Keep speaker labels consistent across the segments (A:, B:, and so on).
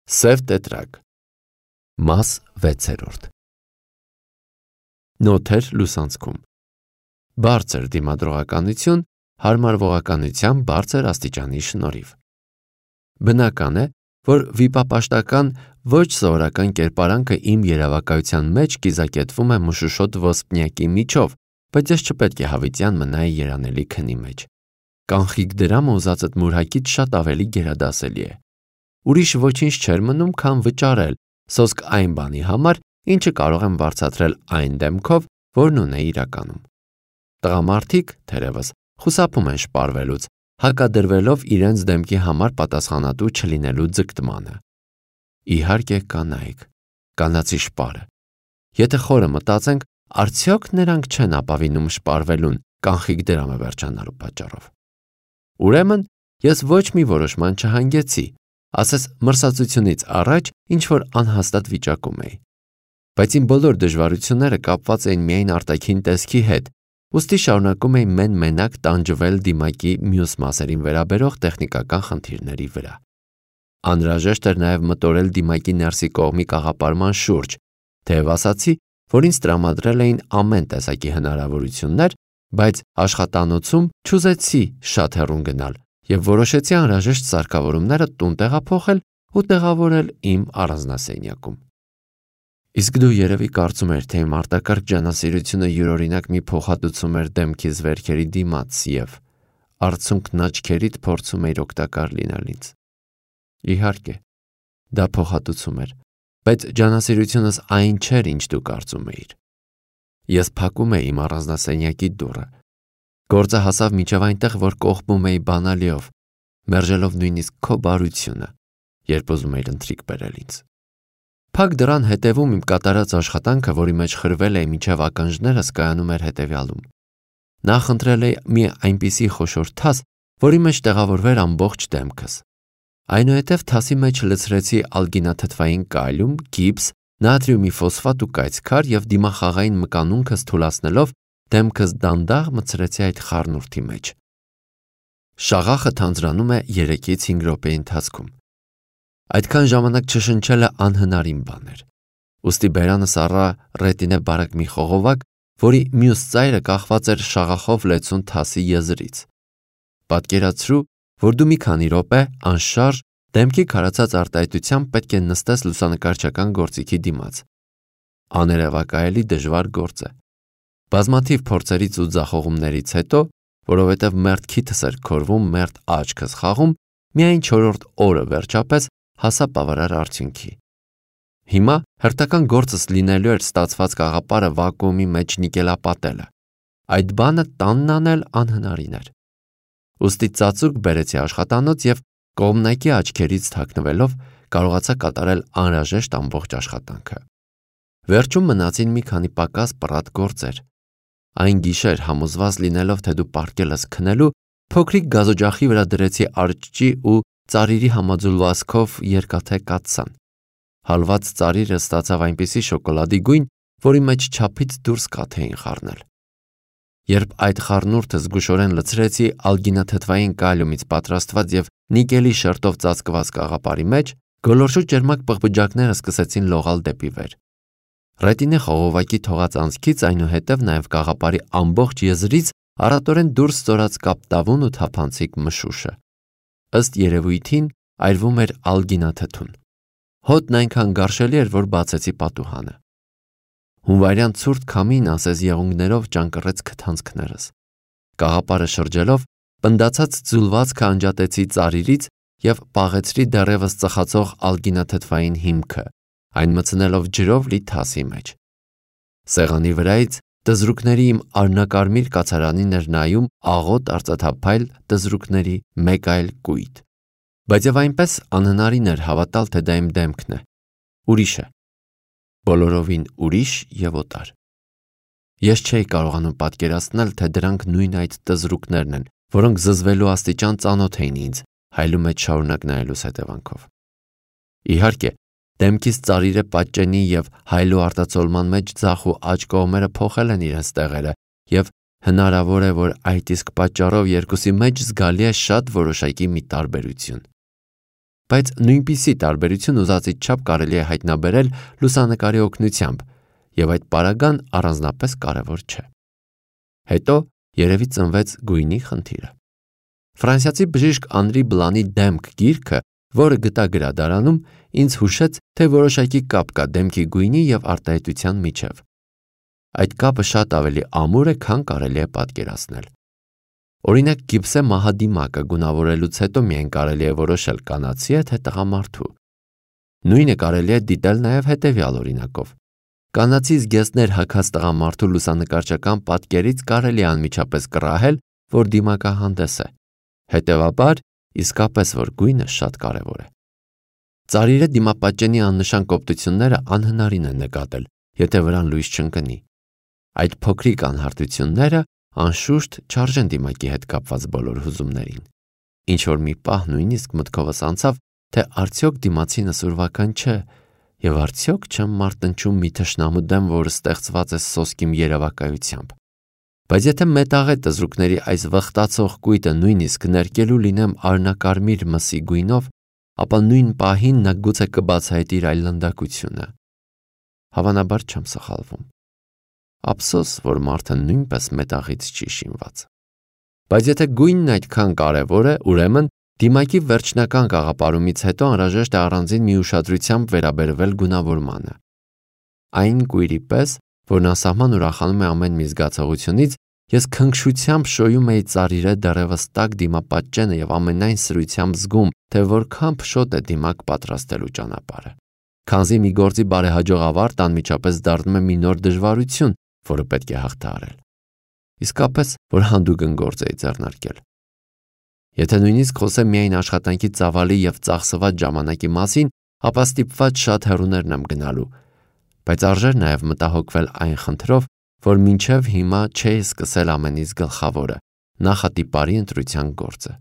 A: Սև տետրակ։ Մաս 6. Նոթեր լուսանցքում։ Բարձր դիմադրողականություն հարմարվողականության բարձր աստիճանի շնորհիվ։ Բնական է, որ վիպապաշտական ոչ սովորական կերպարանքը իմ երևակայության մեջ կիզակետվում է մշուշոտ ոսպնյակի միջով, բայց ես չպետք է հավիտյան մնայի երանելի քնի մեջ։ Կանխիկ դրամը ուզածդ մուրհակից շատ ավելի գերադասելի է։ Ուրիշ ոչինչ չէր մնում, քան վճարել սոսկ այն բանի համար, ինչը կարող եմ վարձատրել այն դեմքով, որն ունեի իրականում։ Տղամարդիկ, թերևս, խուսափում են շպարվելուց, հակադրվելով իրենց դեմքի համար պատասխանատու չլինելու ձգտմանը։ Իհարկե կանայք, կանացի շպարը։ Եթե խորը մտածենք, արդյոք նրանք չեն ապավինում շպարվելուն կանխիկ դրամը վերջանալու պատճառով։ Ուրեմն, ես ոչ մի որոշման չհանգեցի, ասես մրսածությունից առաջ ինչ-որ անհաստատ վիճակում էի։ Բայց իմ բոլոր դժվարությունները կապված էին միայն արտաքին տեսքի հետ, ուստի շարունակում էի մեն-մենակ տանջվել դիմակի մյուս մասերին վերաբերող տեխնիկական խնդիրների վրա։ Անհրաժեշտ էր նաև մտորել դիմակի ներսի կողմի կաղապարման շուրջ, թեև ասացի, որ ինձ տրամադրել էին ամեն տեսակի հնարավորություններ, բայց աշխատանոցում չուզեցի շատ հեռուն գնալ և որոշեցի անհրաժեշտ սարքավորումները տուն տեղափոխել ու տեղավորել իմ առանձնասենյակում։ Իսկ դու երևի կարծում ես, թե իմ արտակարգ ջանասիրությունը յուրօրինակ մի փոխհատուցում էր դեմքիս վերքերի դիմաց և արցունքն աչքերիդ փորձում էր օգտակար լինել ինձ։ Իհարկե, դա փոխհատուցում էր, բայց ջանասիրությունս այն չէր, ինչ դու կարծում էիր։ Ես փակում էի իմ առանձնասենյակի դուռը։ Գործը հասավ մինչև այնտեղ, որ կողպում էի բանալիով, մերժելով նույնիսկ քո բարությունը, երբ ուզում էիր ընթրիք բերել ինձ։ Փակ դռան հետևում իմ կատարած աշխատանքը, որի մեջ խրվել էի մինչև ականջներս, կայանում էր հետևյալում։ Նախ ընտրել էի մի այնպիսի խոշոր թաս, որի մեջ տեղավորվեր ամբողջ դեմքս։ Այնուհետև թասի մեջ լցրեցի ալգինաթթվային կալիում, գիպս, նատրիումի ֆոսֆատ ու կայծքար և դիմախաղային մկանունքս թուլացնելով դեմքս դանդաղ մտցրեցի այդ խառնուրդի մեջ։ Շաղախը թանձրանում է 3-ից 5 րոպեի ընթացքում։ Այդքան ժամանակ չշնչելը անհնարին բան էր։ Ուստի բերանս առա ռետինե բարակ մի խողովակ, որի մյուս ծայրը կախված էր շաղախով լեցուն թասի եզրից։ Պատկերացրու, որ դու մի քանի րոպե անշարժ դեմքի քարացած արտահայտությամբ պետք է նստես լուսանկարչական գործիքի դիմաց։ Աներևակայելի դժվար գործ է։ Բազմաթիվ փորձերից ու ձախողումներից հետո, որովհետև մերթ քիթս էր քորվում, մերթ աչքս խաղում, միայն 4-րդ օրը վերջապես հասա բավարար արդյունքի։ Հիմա հերթական գործս լինելու էր ստացված կաղապարը վակուումի մեջ նիկելապատելը։ Այդ բանը տանն անել անհնարին էր։ Ուստի ծածուկ բերեցի աշխատանոց և կողմնակի աչքերից թաքնվելով կարողացա կատարել անհրաժեշտ ամբողջ աշխատանքը։ Վերջում մնացին մի քանի պակաս պռատ գործեր։ Այն գիշեր համոզված լինելով, թե դու պառկել ես քնելու, փոքրիկ գազօջախի վրա դրեցի արջճի ու ծարիրի համաձուլվածքով երկաթե կաթսան։ Հալված ծարիրը ստացավ այնպիսի շոկոլադի գույն, որի մեջ չափից դուրս կաթ էին խառնել։ Երբ այդ խառնուրդը զգուշորեն լցրեցի ալգինաթթվային կալիումից պատրաստված և նիկելի շերտով ծածկված կաղապարի մեջ, գոլորշու ճերմակ պղպջակները սկսեցին լողալ դեպի վեր։ Ռետինե խողովակի թողած անցքից այնուհետև նաև կաղապարի ամբողջ եզրից առատորեն դուրս ծորած կապտավուն ու թափանցիկ մշուշը։ Ըստ երևույթին այրվում էր ալգինաթթուն։ Հոտն այնքան գարշելի էր, որ բացեցի պատուհանը։ Հունվարյան ցուրտ քամին ասես եղունգներով ճանկռեց քթանցքներս։ Կաղապարը շրջելով, պնդացած ձուլվածքը անջատեցի ծարիրից և պաղեցրի դեռևս ծխացող ալգինաթթվային հիմքը, այն մտցնելով ջրով լի թասի մեջ։ Սեղանի վրայից տզրուկների իմ արնակարմիր կացարանին էր նայում աղոտ արծաթափայլ տզրուկների մեկ այլ կույտ։ Բայց և այնպես անհնարին էր հավատալ, թե դա իմ դեմքն է։ Ուրիշ է։ Բոլորովին ուրիշ և օտար։ Ես չէի կարողանում պատկերացնել, թե դրանք նույն այդ տզրուկներն են, որոնք զզվելու աստիճան ծանոթ էին ինձ, հայելու մեջ շարունակ նայելուս հետևանքով։ Իհարկե, դեմքիս ծարիրը պատճենի և հայելու արտացոլման մեջ ձախ ու աջ կողմերը փոխել են իրենց տեղերը և հնարավոր է, որ այդ իսկ պատճառով երկուսի մեջ զգալի է շատ որոշակի մի տարբերություն։ բայց նույնպիսի տարբերություն ուզածից չափ կարելի է հայտնաբերել լուսանկարի օգնությամբ, եւ այդ պարագան առանձնապես կարևոր չէ։ Հետո երևի ծնվեց գույնի խնդիրը։ Ֆրանսիացի բժիշկ Անրի Բլանի «Դեմք» գիրքը, որը գտա գրադարանում, ինձ հուշեց, թե որոշակի կապ կա դեմքի գույնի եւ արտահայտության միջև։ Այդ կապը շատ ավելի ամուր է, քան կարելի է պատկերացնել։ Օրինակ, գիպսե մահադիմակը գունավորելուց հետո միայն կարելի է որոշել կանացի է թե տղամարդու։ Նույնը կարելի է դիտել նաև հետևյալ օրինակով։ Կանացի զգեստներ հագած տղամարդու լուսանկարչական պատկերից կարելի է անմիջապես կռահել, որ դիմակահանդես է։ Հետևաբար, իսկապես որ գույնը շատ կարևոր է։ Ծարիրե դիմապատճենի աննշան կոպտությունները անհնարին է նկատել, եթե վրան լույս չընկնի։ Այդ փոքրիկ անհարթությունները անշուշտ չարժեն դիմակի հետ կապված բոլոր հուզումներին։ Ինչ որ մի պահ նույնիսկ մտքովս անցավ, թե արդյոք դիմացինս ուրվական չէ, եւ արդյոք չեմ մարտնչում մի թշնամու դեմ, որը ստեղծված է սոսկիմ երևակայությամբ։ Բայց եթե մետաղե տզրուկների այս վխտացող կույտը նույնիսկ ներկելու լինեմ արնակարմիր մսի գույնով, ապա նույն պահին նա գուցե կբացահայտի իր այլանդակությունը։ Հավանաբար չեմ սխալվում։ Ափսոս, որ մարդը նույնպես մետաղից չի շինված։ Բայց եթե գույնն այդքան կարևոր է, ուրեմն դիմակի վերջնական գաղափարումից հետո անհրաժեշտ է առանձին մի ուշադրությամբ վերաբերվել գունավորմանը։ Այն կույրի պես, որն անսահման ուրախանում է ամեն մի զգացողությունից, ես քնքշությամբ շոյում էի ծարիրե դեռևս տաք դիմապատճենը եւ ամենայն սրությամբ զգում, թե որքան փշոտ է դիմակ պատրաստելու ճանապարհը։ Քանզի մի գործի բարեհաջող ավարտը անմիջապես դառնում է մի նոր դժվարություն, որը պետք է հաղթահարել։ Իսկապես, որ հանդուգն գործ էի ձեռնարկել։ Եթե նույնիսկ խոսեմ միայն աշխատանքի ծավալի եւ ծախսված ժամանակի մասին, ապա ստիպված շատ հեռուներն եմ գնալու, բայց արժեր նաեւ մտահոգվել այն խնդրով, որ մինչև հիմա չէի սկսել ամենից գլխավորը՝ նախատիպարի ընտրության գործը։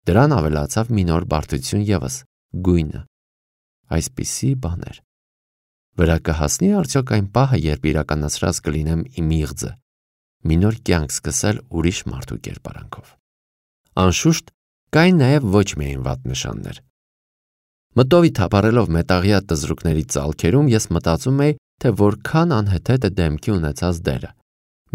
A: Դրան ավելացավ մի նոր բարդություն եւս՝ գույնը։ Այսպիսի բաներ։ Վրա կհասնի արդյոք այն պահը, երբ իրականացրած կլինեմ իմ իղձը, մի նոր կյանք սկսել ուրիշ մարդու կերպարանքով։ Անշուշտ, կային նաև ոչ միայն վատ նշաններ։ Մտովի թափառելով մետաղյա տզրուկների ծալքերում ես մտածում էի, թե որքան անհեթեթ է դեմքի ունեցած դերը։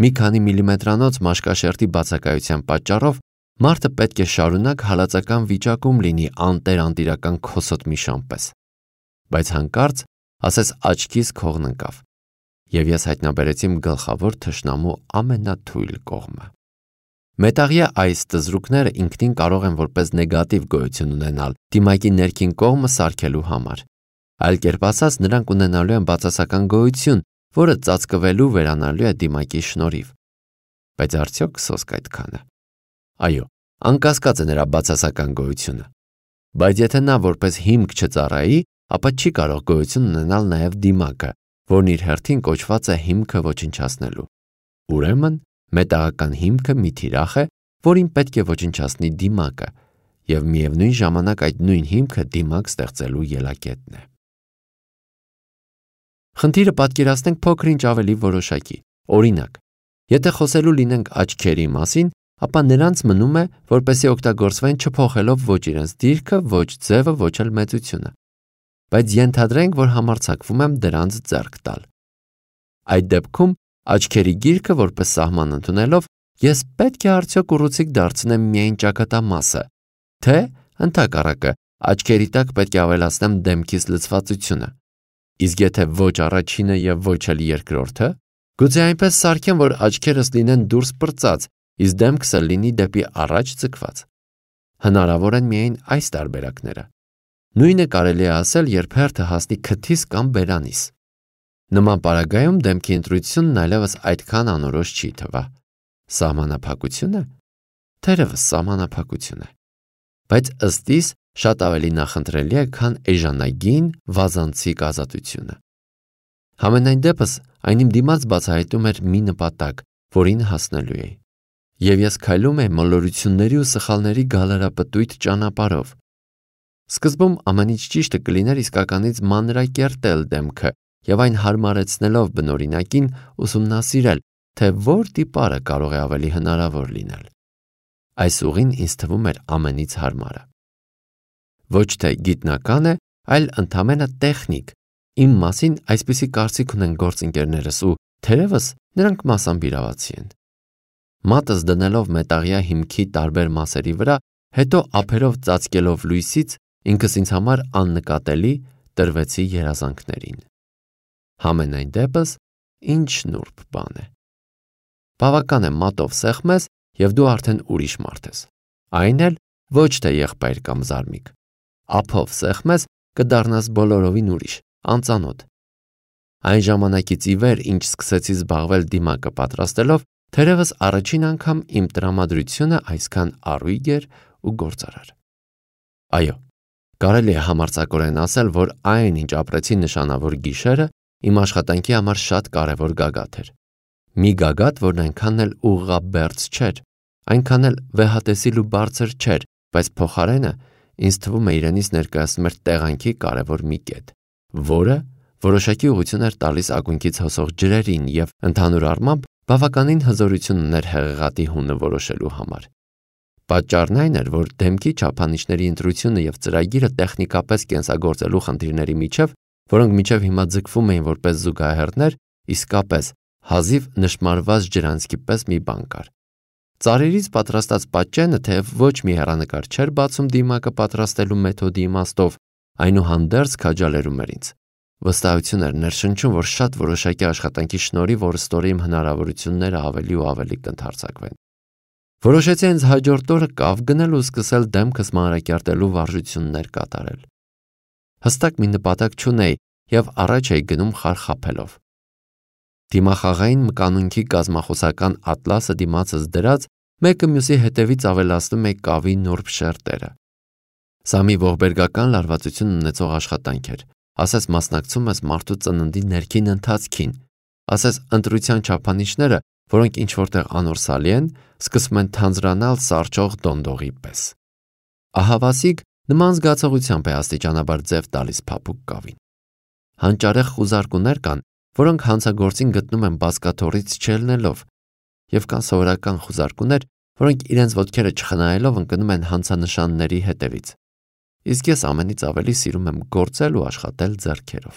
A: Մի քանի միլիմետրանոց մաշկաշերտի բացակայության պատճառով մարդը պետք է շարունակ հալածական վիճակում լինի անտեր-անտիրական քոսոտ միշան պես։ Բայց հանկարծ ասես աչքիս քողն ընկավ, եւ ես հայտնաբերեցի իմ գլխավոր թշնամու ամենաթույլ կողմը։ Մետաղյա այս տզրուկները ինքնին կարող են որպես նեգատիվ գոյություն ունենալ դիմակի ներքին կողմը սարքելու համար։ Այլ կերպ ասած, նրանք ունենալու են բացասական գոյություն, որը ծածկվելու վերանալու է դիմակի շնորհիվ։ Բայց արդյոք սոսկ այդքանը։ Այո, անկասկած է նրա բացասական գոյությունը։ Բայց եթե նա որպես հիմք չծառայի, ապա չի կարող գոյություն ունենալ նաև դիմակը, որն իր հերթին կոչված է հիմքը ոչնչացնելու։ Ուրեմն, մետաղական հիմքը մի թիրախ է, որին պետք է ոչնչացնի դիմակը, եւ միևնույն ժամանակ այդ նույն հիմքը դիմակ ստեղծելու ելակետն է։ Խնդիրը պատկերացնենք փոքր-ինչ ավելի որոշակի։ Օրինակ, եթե խոսելու լինենք աչքերի մասին, ապա նրանց մնում է, որպեսզի օգտագործվեն չփոխելով ոչ իրենց դիրքը, ոչ ձևը, ոչ էլ մեծությունը։ Բայց ենթադրենք, որ համարձակվում եմ դրանց ձեռք տալ։ Այդ դեպքում աչքերի գիրքը որպես սահման ընդունելով, ես պետք է արդյոք ուռուցիկ դարձնեմ միայն ճակատամասը, թե ընդհակառակը աչքերի տակ պետք է ավելացնեմ դեմքիս լցվածությունը։ Իսկ եթե ոչ առաջինը եւ ոչ էլ երկրորդը, գուցե այնպես սարքեմ, որ աչքերս լինեն դուրս պրծած, իսկ դեմքս լինի դեպի առաջ ձգված։ Հնարավոր են միայն այս տարբերակները։ Նույնը կարելի է ասել, երբ հերթը հասնի քթիս կամ բերանիս։ Նման պարագայում դեմքի ընտրությունն այլևս այդքան անորոշ չի թվա։ Սահմանափակությունը, թերևս սահմանափակություն է, բայց ըստ իս շատ ավելի նախընտրելի է, քան էժանագին վազանցիկ ազատությունը։ Համենայն դեպս այն իմ դիմաց բացահայտում էր մի նպատակ, որին հասնելու էի, եւ ես քայլում էի մոլորությունների ու սխալների գալարապտույտ ճանապարհով։ Սկզբում ամեն ինչ ճիշտը կլիներ իսկականից մանրակերտել դեմքը եւ այն հարմարեցնելով բնօրինակին ուսումնասիրել, թե որ տիպարը կարող է ավելի հնարավոր լինել։ Այս ուղին ինձ թվում էր ամենից հարմարը։ ոչ թե գիտնական է, այլ ընդամենը տեխնիկ։ Իմ մասին այսպիսի կարծիք ունեն գործընկերներս ու թերևս նրանք մասամբ իրավացի են։ Մատս դնելով մետաղյա հիմքի տարբեր մասերի վրա, հետո ափերով ծածկելով լույսից, ինքս ինձ համար աննկատելի տրվեցի երազանքներին։ Համենայն դեպս, ինչ նուրբ բան է։ Բավական է մատով սեղմես և դու արդեն ուրիշ մարդ ես։ Այն էլ ոչ թե եղբայր կամ զարմիկ։ Ափով սեղմես կդառնաս բոլորովին ուրիշ, անծանոթ։ Այն ժամանակից ի վեր, ինչ սկսեցի զբաղվել դիմակը պատրաստելով, թերևս առաջին անգամ իմ տրամադրությունը այսքան առույգ էր ու գործարար։ Այո, կարելի է համարձակորեն ասել, որ այն, ինչ ապրեցի նշանավոր գիշերը, իմ աշխատանքի համար շատ կարևոր գագաթ էր։ Մի գագաթ, որն այնքան էլ ուղղաբերձ չէր, այնքան էլ վեհատեսիլ ու բարձր չէր, բայց փոխարենը ինձ թվում է իրենից ներկայացնում էր տեղանքի կարևոր մի կետ, որը որոշակի ուղղություն էր տալիս ակունքից հոսող ջրերին և ընդհանուր առմամբ բավականին հզորություն ուներ հեղեղատի հունը որոշելու համար։ Պատճառն այն էր, որ դեմքի չափանիշների ընտրությունը և ծրագիրը տեխնիկապես կենսագործելու խնդիրների միջև, որոնք մինչև հիմա ձգվում էին որպես զուգահեռներ, իսկապես հազիվ նշմարված ջրանցքի պես մի բան կար։ Ծառերից պատրաստած պատճենը թեև ոչ մի հեռանկար չէր բացում դիմակը պատրաստելու մեթոդի իմաստով, այնուհանդերձ քաջալերում էր ինձ։ Վստահություն էր ներշնչում, որ շատ որոշակի աշխատանքի շնորհիվ օրստորի իմ հնարավորությունները ավելի ու ավելի կընդարձակվեն։ Որոշեցի ինձ հաջորդ օրը կավ գնել ու սկսել դեմքս մանրակերտելու վարժություններ կատարել։ Հստակ մի նպատակ չունեի և առաջ էի գնում խարխափելով։ Դիմախաղային մկանունքի կազմախոսական ատլասը դիմացս դրած, մեկը մյուսի հետևից ավելացնում էի կավի նուրբ շերտերը։ Սա մի ողբերգական լարվածություն ունեցող աշխատանք էր, ասես մասնակցում ես մարդու ծննդի ներքին ընթացքին, ասես ընտրության չափանիշները, որոնք ինչ-որտեղ անորսալի են, սկսում են թանձրանալ սառչող դոնդողի պես։ Ահավասիկ նման զգացողությամբ է աստիճանաբար ձև տալիս փափուկ կավին։ Հանճարեղ խուզարկուներ կան, որոնք հանցագործին գտնում են բազկաթոռից չելնելով, և կան սովորական խուզարկուներ, որոնք իրենց ոտքերը չխնայելով ընկնում են հանցանշանների հետևից։ Իսկ ես ամենից ավելի սիրում եմ գործել ու աշխատել ձեռքերով։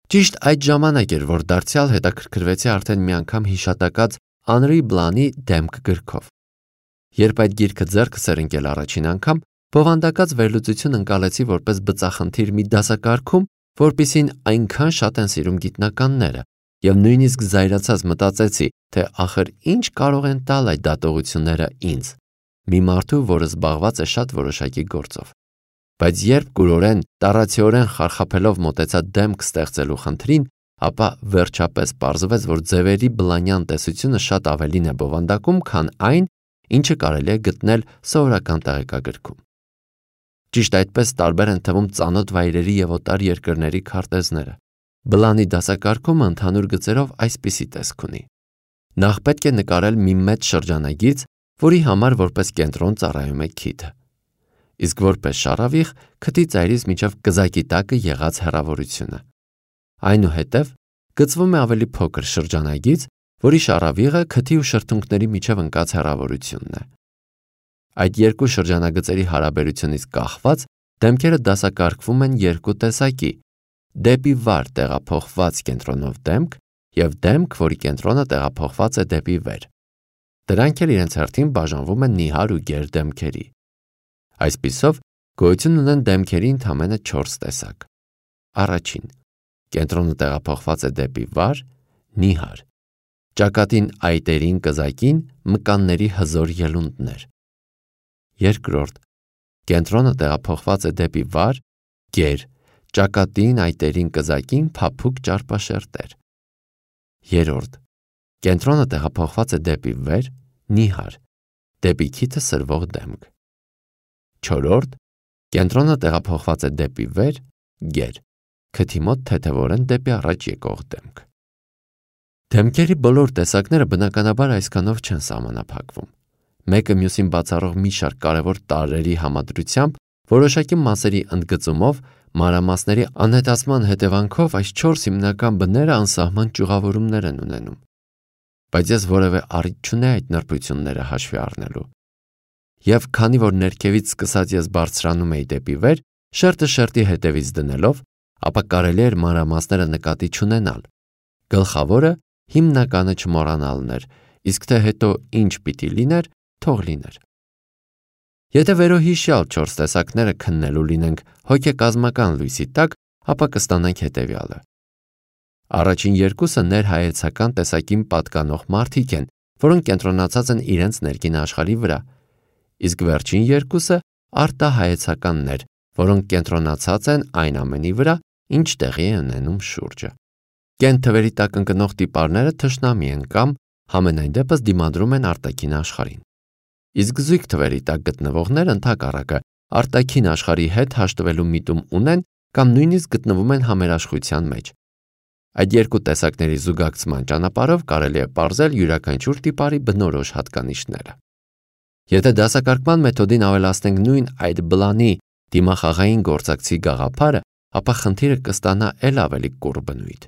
A: Ճիշտ այդ ժամանակ էր, որ դարձյալ հետաքրքրվեցի արդեն մի անգամ հիշատակած Անրի Բլանի «Դեմք» գրքով։ Երբ այդ գիրքը ձեռքս էր ընկել առաջին անգամ, բովանդակած վերլուծություն ընկալեցի որպես բծախնդիր մի դասակարգում, որպիսին այնքան շատ են սիրում գիտնականները, և նույնիսկ զայրացած մտածեցի, թե ախր ինչ կարող են տալ այդ դատողությունները ինձ, մի մարդու, որը զբաղված է շատ որոշակի գործով։ Բայց երբ կուրորեն, տառացիորեն խարխափելով մոտեցա դեմք ստեղծելու խնդրին, ապա վերջապես պարզվեց, որ ձևերի բլանյան տեսությունը շատ ավելին է բովանդակում, քան այն, ինչը կարելի է գտնել սովորական տեղեկագրքում։ Ճիշտ այդպես տարբեր են թվում ծանոթ վայրերի և օտար երկրների քարտեզները։ Բլանի դասակարգումը ընդհանուր գծերով այսպիսի տեսք ունի։ Նախ պետք է նկարել մի մեծ շրջանագիծ, որի համար որպես կենտրոն ծառայում է քիթը։ Իսկ որպես շարավիղ քթի ծայրից մինչև կզակի տակը եղած հեռավորությունը։ Այնուհետև գծվում է ավելի փոքր շրջանագիծ, որի շարավիղը քթի ու շրթունքների միջև ընկած հեռավորությունն է։ Այդ երկու շրջանագծերի հարաբերությունից կախված դեմքերը դասակարգվում են երկու տեսակի՝ դեպի վար տեղափոխված կենտրոնով դեմք և դեմք, որի կենտրոնը տեղափոխված է դեպի վեր։ Դրանք էլ իրենց հերթին բաժանվում են նիհար ու գեր դեմքերի։ Այսպիսով, գոյություն ունեն դեմքերի ընդամենը 4 տեսակ։ Առաջին. կենտրոնը տեղափոխված է դեպի վար, նիհար։ Ճակատին այտերին կզակին մկանների հզոր ելունդներ։ Երկրորդ. կենտրոնը տեղափոխված է դեպի վար, գեր, ճակատին այտերին կզակին փափուկ ճարպաշերտեր։ Երրորդ. կենտրոնը տեղափոխված է դեպի վեր, նիհար, դեպի քիթը սրվող դեմք։ Չորրորդ. կենտրոնը տեղափոխված է դեպի վեր, գեր, քթի մոտ թեթևորեն դեպի առաջ եկող դեմք։ Դեմքերի բոլոր տեսակները բնականաբար այսքանով չեն սահմանափակվում։ Մեկը մյուսին բացառող մի շարք կարևոր տարրերի համադրությամբ, որոշակի մասերի ընդգծումով, մանրամասների անհետացման հետևանքով այս 4 հիմնական բները անսահման ճյուղավորումներ են ունենում։ Բայց ես որևէ առիթ չունեի այդ նրբությունները հաշվի առնելու։ Եվ քանի որ ներքևից սկսած ես բարձրանում էի դեպի վեր, շերտը շերտի հետևից դնելով, ապա կարելի էր մանրամասները նկատի չունենալ։ Գլխավորը հիմնականը չմոռանալն էր, իսկ թե հետո ինչ պիտի լիներ, թող լիներ։ Եթե վերոհիշյալ 4 տեսակները քննելու լինենք հոգեկազմական լույսի տակ, ապա կստանանք հետևյալը։ Առաջին երկուսը ներհայեցական տեսակին պատկանող մարդիկ են, որոնք կենտրոնացած են իրենց ներքին աշխարհի վրա, իսկ վերջին երկուսը արտահայեցականներ, որոնք կենտրոնացած են այն ամենի վրա, ինչ տեղի է ունենում շուրջը։ Կենտ թվերի տակ ընկնող տիպարները թշնամի են կամ համենայն դեպս դիմադրում են արտաքին աշխարհին։ Իսկ զույգ թվերի տակ գտնվողները ընդհակառակը արտաքին աշխարհի հետ հաշտվելու միտում ունեն կամ նույնիսկ գտնվում են համերաշխության մեջ։ Այդ երկու տեսակների զուգակցման ճանապարհով կարելի է պարզել յուրաքանչյուր տիպարի բնորոշ հատկանիշները։ Եթե դասակարգման մեթոդին ավելացնենք նույն այդ բլանի դիմախաղային գործակցի գաղափարը, ապա խնդիրը կստանա էլ ավելի կուռ բնույթ։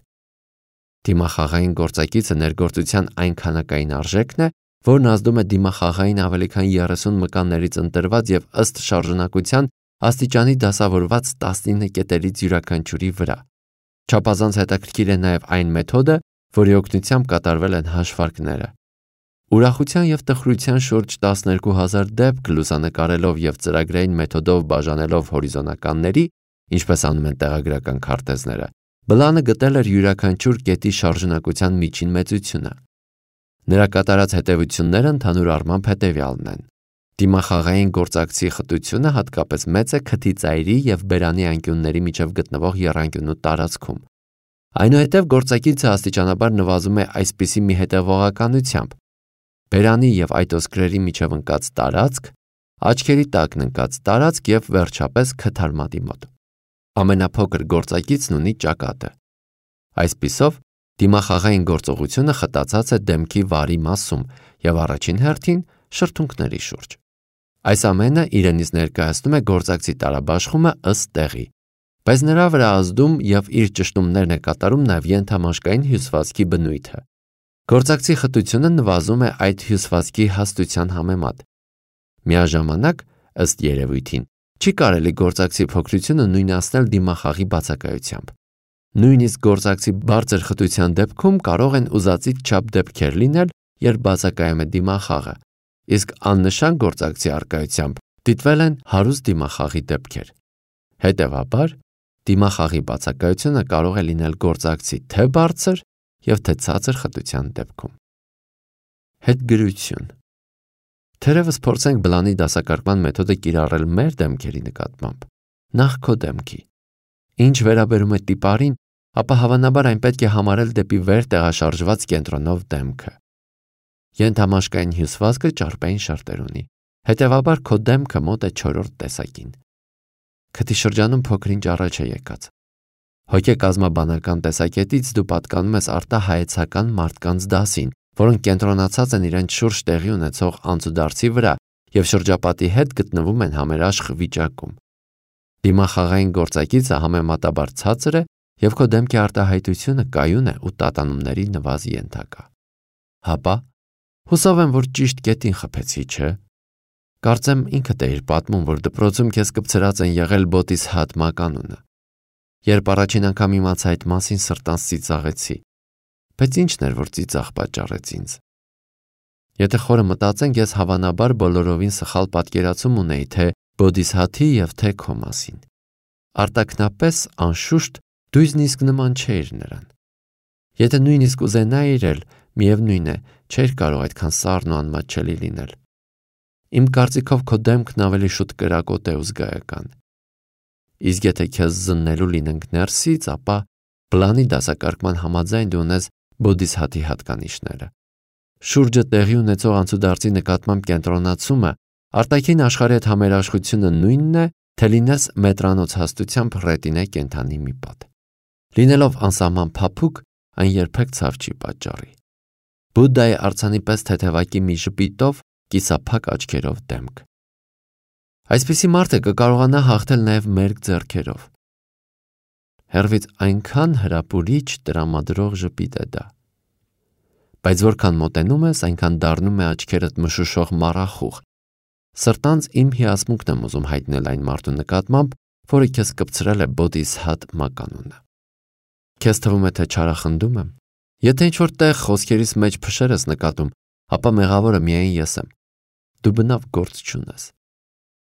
A: Դիմախաղային գործակիցը ներգործության այն քանակային արժեքն է, որն ազդում է դիմախաղային ավելի քան 30 մկաններից ընտրված եւ ըստ շարժունակության աստիճանի դասավորված 19 կետերից յուրաքանչյուրի վրա։ Չափազանց հետաքրքիր է նաև այն մեթոդը, որի օգնությամբ կատարվել են հաշվարկները։ Ուրախության եւ տխրության շուրջ 12000 դեպք լուսանկարելով եւ ծրագրային մեթոդով բաժանելով հորիզոնականների, ինչպես անում են տեղագրական քարտեզները, բլանը գտել էր յուրաքանչյուր կետի շարժունակության միջին մեծությունը։ Նրա կատարած հետևությունները ընդհանուր առմամբ հետևյալն են։ Դիմախաղային գործակցի խտությունը հատկապես մեծ է քթի ծայրի եւ բերանի անկյունների միջև գտնվող եռանկյունու տարածքում։ Այնուհետև գործակիցը աստիճանաբար նվազում է այսպիսի մի հետևողականությամբ. բերանի եւ այտոսկրերի միջև ընկած տարածք, աչքերի տակն ընկած տարածք եւ վերջապես քթարմատի մոտ։ Ամենափոքր գործակիցն ունի ճակատը։ Այսպիսով, դիմախաղային գործողությունը խտացած է դեմքի վարի մասում եւ առաջին հերթին շրթունքների շուրջ։ Այս ամենը իրենից ներկայացնում է գործակցի տարաբաշխումը ըստ տեղի, բայց նրա վրա ազդում եւ իր ճշտումներն է կատարում նաեւ ենթամաշկային հյուսվածքի բնույթը։ Գործակցի խտությունը նվազում է այդ հյուսվածքի հաստության համեմատ։ Միաժամանակ, ըստ երևույթին, չի կարելի գործակցի փոքրությունը նույնացնել դիմախաղի բացակայությամբ։ Նույնիսկ գործակցի բարձր խտության դեպքում կարող են ուզածից չափ դեպքեր լինել, երբ բացակայում է դիմախաղը, իսկ աննշան գործակցի առկայությամբ դիտվել են հարուստ դիմախաղի դեպքեր։ Հետևաբար, դիմախաղի բացակայությունը կարող է լինել գործակցի թե բարձր եւ թե ցածր խտության դեպքում։ Հետգրություն։ Թերևս փորձենք բլանի դասակարգման մեթոդը կիրառել մեր դեմքերի նկատմամբ, նախ քո դեմքի։ Ինչ վերաբերում է տիպարին, ապա հավանաբար այն պետք է համարել դեպի վեր տեղաշարժված կենտրոնով դեմքը։ Ենթամաշկային հյուսվածքը ճարպային շերտեր ունի, հետևաբար քո դեմքը մոտ է 4-րդ տեսակին։ Քթի շրջանում փոքր-ինչ առաջ է եկած։ Հոգեկազմաբանական տեսակետից դու պատկանում ես արտահայեցական մարդկանց դասին, որոնք կենտրոնացած են իրենց շուրջ տեղի ունեցող անցուդարձի վրա եւ շրջապատի հետ գտնվում են համերաշխ վիճակում։ Դիմախաղային գործակիցը համեմատաբար ցածր է եւ քո դեմքի արտահայտությունը կայուն է ու տատանումների նվազ ենթակա։ Հապա, հուսով եմ, որ ճիշտ կետին խփեցի, չէ՞։ Կարծեմ ինքդ էիր պատմում, որ դպրոցում քեզ կպցրած են եղել բոտիս հատ մականունը։ Երբ առաջին անգամ իմացա այդ մասին, սրտանց ծիծաղեցի։ Բայց ի՞նչն էր, որ ծիծաղ պատճառեց ինձ։ Եթե խորը մտածենք, ես հավանաբար բոլորովին սխալ պատկերացում ունեի թե բոդիսհաթի եւ թե քո մասին։ Արտաքնապես, անշուշտ, դու նույնիսկ նման չէիր նրան։ Եթե նույնիսկ ուզենայիր էլ, միևնույն է, չէիր կարող այդքան սառն ու անմատչելի լինել։ Իմ կարծիքով քո դեմքն ավելի շուտ կրակոտ է ու զգայական։ Իսկ եթե քեզ զննելու լինենք ներսից, ապա պլանի դասակարգման համաձայն դու ունես բոդիսհաթի հատկանիշները։ Շուրջը տեղի ունեցող անցուդարձի նկատմամբ կենտրոնացումը, արտաքին աշխարհի հետ համերաշխությունը նույնն է, թե լինես մետրանոց հաստությամբ ռետինե կենդանի մի պատ։ Լինելով անսահման փափուկ, այն երբեք ցավ չի պատճառի։ Բուդդայի արձանի պես թեթևակի մի ժպիտով, կիսափակ աչքերով դեմք։ Այսպիսի մարդը կկարողանա հաղթել նաև մերկ ձեռքերով։ Հեռվից այնքան հրապուրիչ տրամադրող ժպիտ է դա։ Բայց որքան մոտենում ես, այնքան դառնում է աչքերդ մշուշող մառախուղ, Սրտանց իմ հիացմունքն եմ ուզում հայտնել այն մարդու նկատմամբ, որը քեզ կպցրել է Բոդիսհաթ մականունը։ Քեզ թվում է, թե չարախնդում եմ։ Եթե ինչ-որ տեղ խոսքերիս մեջ փշեր ես նկատում, ապա մեղավորը միայն ես եմ։ Դու բնավ գործ չունես։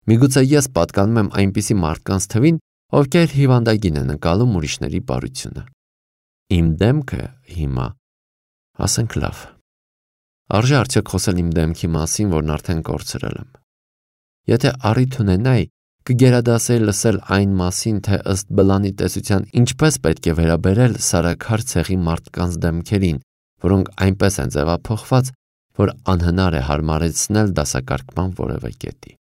A: Միգուցե ես պատկանում եմ այնպիսի մարդկանց թվին, ովքեր հիվանդագին են ընկալում ուրիշների բարությունը։ Իմ դեմքը հիմա, ասենք լավ։ Արժե արդյոք խոսել իմ դեմքի մասին, որն արդեն կորցրել եմ։ Եթե առիթ ունենայի, կգերադասեի լսել այն մասին, թե ըստ բլանի տեսության ինչպես պետք է վերաբերել սարաքար ցեղի մարդկանց դեմքերին, որոնք այնպես են ձևափոխված, որ անհնար է հարմարեցնել դասակարգման որևէ կետի։